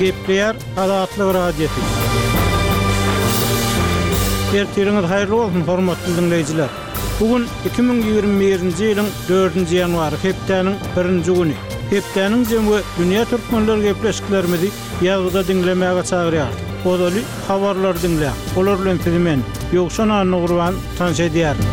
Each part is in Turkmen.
Gepleýär Azatlyk Radiosy. Ertiriňiz haýyrly bolsun, hormatly diňleýjiler! Bu gün 2021-nji ýylyň dördünji ýanwary, hepdäniň birinji güni. Hepdäniň jemi we dünýä türkmenleri gepleşiklerimizi ýazgyda diňlemäge çagyrýarys. Ozaly habarlary diňläň. Olar bilen sizi men, Ýowşan Annagurban, tanyş edýärin.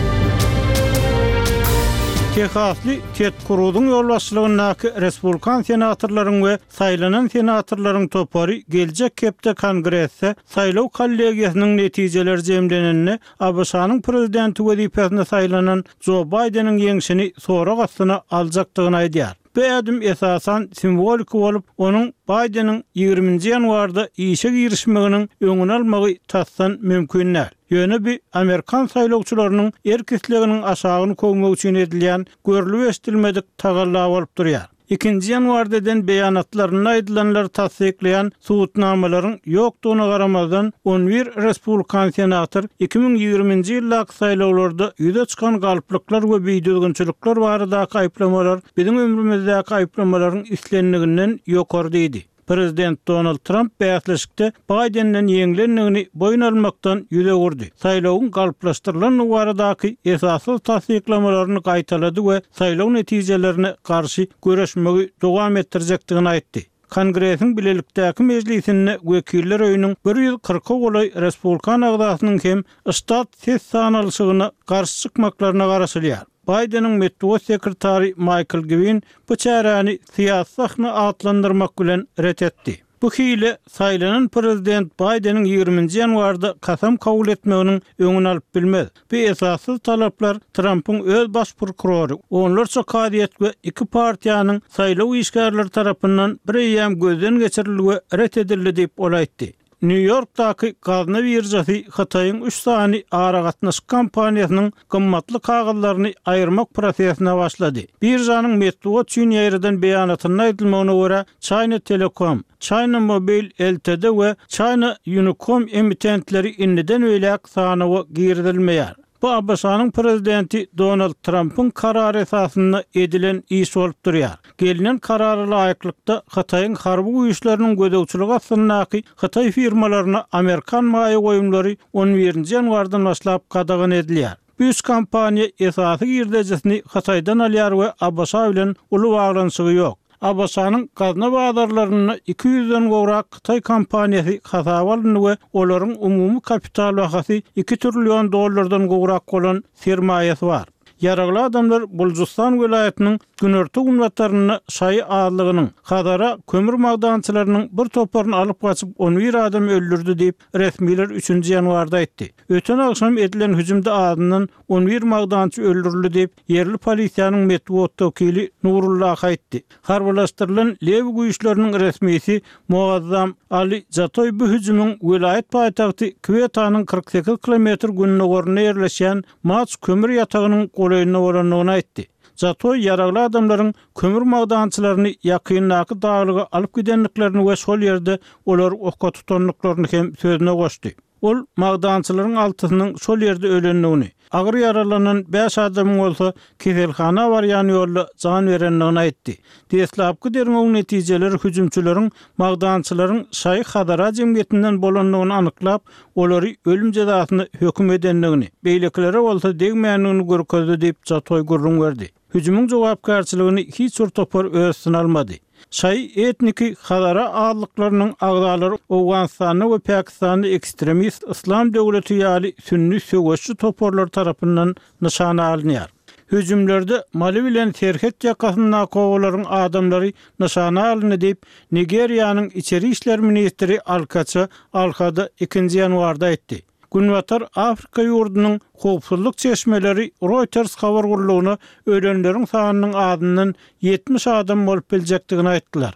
Tehasly Ted Kruzyň ýolbaşçylygyndaky respublikan senatorlaryň we saýlanan senatorlaryň topary geljek hepde Kongresde saýlaw kollegiýasynyň netijeleri jemlenende ABŞ-nyň prezidenti wezipesine saýlanan Jo Baýdeniň ýeňşini sorag astyna aljakdygyny aýdýar. Bu ädim esasan simwoliki bolup, onuň Baýdeniň ýigriminji ýanwarda işe girişmeginiň öňüni almagy tasdan mümkin däl. Ýöne bu amerikan saýlawçylarynyň erk-isleginiň aşagyny köwmek üçin edilýän görlüp-eşidilmedik tagalla bolup durýar. Ikinji ýanwarda eden beýanatlarynda aýdylanlary tassyklaýan subutnamalaryň ýokdugyna garamazdan, on bir respublikan senator 2020-nji ýyldaky saýlawlarda ýüze çykan galplyklar we bidüzgünçilikler baradaky aýyplamalar biziň ömrümizdäki aýyplamalaryň islendiginden ýokary diýdi. Prezident Donald Tramp bäsleşikde Baýdenden ýeňlendigini boýun almakdan ýüz öwürdi, saýlawyň galplaşdyrylandygy baradaky esassyz tassyklamalaryny gaýtalady we saýlaw netijelerine garşy göreşmegi dowam etdirjekdigini aýtdy. Kongresiň bilelikdäki mejlisinde Wekiller öýüniň 140-a golaý respublikan agzasynyň hem ştat ses sanalyşygyna garşy çykmaklaryna garaşylýar. Baýdeniň metbugat sekretary Maýkl Gwin bu çäräni syýasy sahna atlandyrmak bilen ret etdi. Bu hile saýlanan prezident Baýdeniň ýigriminji ýanwarda kasam kabul etmeginiň öňüni alyp bilmez. Bu esassyz talaplar Trampyň öz baş prokurory, onlarça kazyýet we iki partiýanyň saýlaw işgärleri tarapyndan bireýýäm gözden geçirildi we ret edildi diýip, ol aýtdy. Nýu-Ýorkdaky gazna biržasy Hytaýyň üç sany aragatnaşyk kompaniýasynyň gymmatly kagyzlaryny aýyrmak prosesine başlady. Biržanyň metbugat üçin ýaýradan beýanatynda aýdylmagyna görä, China Telecom, China Mobile Ltd we China Unicom emitentleri indiden beýläk sanawa girizilmeýär. Bu ABŞ-nyň prezidenti Donald Trampyň karary esasynda edilen iş bolup durýar. Gelnen karara laýyklykda, Hytaýyň harby güýçleriniň gözegçiligi astyndaky hytaý firmalaryna amerikan maýa goýumlary on birinji ýanwardan başlap gadagan edilýär. Bu üç kompaniýa esasy girdejisini Hytaýdan alýar we ABŞ bilen uly baglanyşygy ýok. ABŞ-nyň gazna bazarlarynda iki ýüzden gowrak hytaý kompaniýasy hasaba alyndy we olaryň umumy kapital bahasy iki trillion dollardan gowrak bolan sermaýasy bar. Ýaragly adamlar Buljustan welaýatynyň günorta-günbatarynda şaýy azlygynyň, hazara kömür magdançylarynyň bir toparyny alyp gaçyp, on bir adamy öldürdi diýip, resmiler üçünji ýanwarda aýtdy. Öten agşam edilen hüjümde azyndan on bir magdançy öldürildi diýip, Ýerli polisiýanyň metbugat wekili Nurullah aýtdy. Harbylaşdyrylan Lewi güýçleriniň resmisi Muazzam Ali Jatoý bu hüjümiň welaýat paýtagty Kwetanyň 48 kilometr gündogarynda ýerleşýän Mach kömür ýatagynyň golaýynda bolandygyny aýtdy. Jatoý ýaragly adamlaryň kömür magdançylaryny ýakyndaky daglyga alyp gidendiklerini we şol ýerde olary oka tutandyklaryny hem sözüne goşdy. Ol magdançylaryň altysynyň şol ýerde ölendigini, agyr ýaralanan bäş adamyň bolsa keselhana barýan ýolda jan berendigini aýtdy. Deslapky derňewiň netijeleri hüjümçileriň magdançylaryň Şaýy Hazara jemgyýetinden bolandygyny anyklap, olary ölüm jezasyna höküm edendigini, beýlekilere bolsa degmändigini görkezdi diýip, Jatoý gürrüň berdi. Hüjümiň jogapkärçiligini hiç bir topar öz üstüne almady. Şaýy etniki hazara azlyklarynyň agzalary Owganystanda we Pakistanda ekstremist Yslam döwleti ýaly sünni söweşçi toparlar tarapyndan nyşana alynýar. Hüjümlerde Mali bilen serhet ýakasyndaky obalaryň adamlary nyşana alyndy diýip, Nigeriýanyň içeri işler ministri Alkaça Alhada ikinji ýanwarda aýtdy. Günbatar Afrika ýurdunyň howpsuzlyk çeşmeleri Reuters habar gullugyna ölenleriň sanynyň azyndan 70 adam bolup biljekdigini aýtdylar.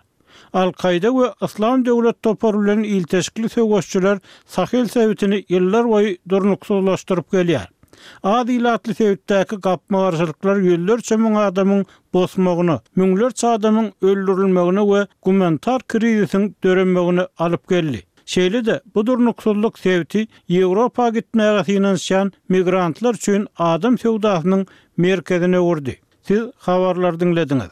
Al-Kaýda we Yslam döwlet topary bilen ilteşikli söweşçiler Sahel sebitini ýyllarboýy durnuksyzlaşdyryp gelýär. Az ilatly sebitdäki gapma-garşylyklar ýüzlerçe müň adamyň bosmagyna, müňlerçe adamyň öldürilmegine we gumanitar krizisiň döremegine alyp geldi. Şeýle-de, bu durnuksyzlyk sebiti Ýewropa gitmäge synanyşýan migrantlar üçin adam söwdasynyň merkezine öwürdi. Siz habarlary diňlediňiz.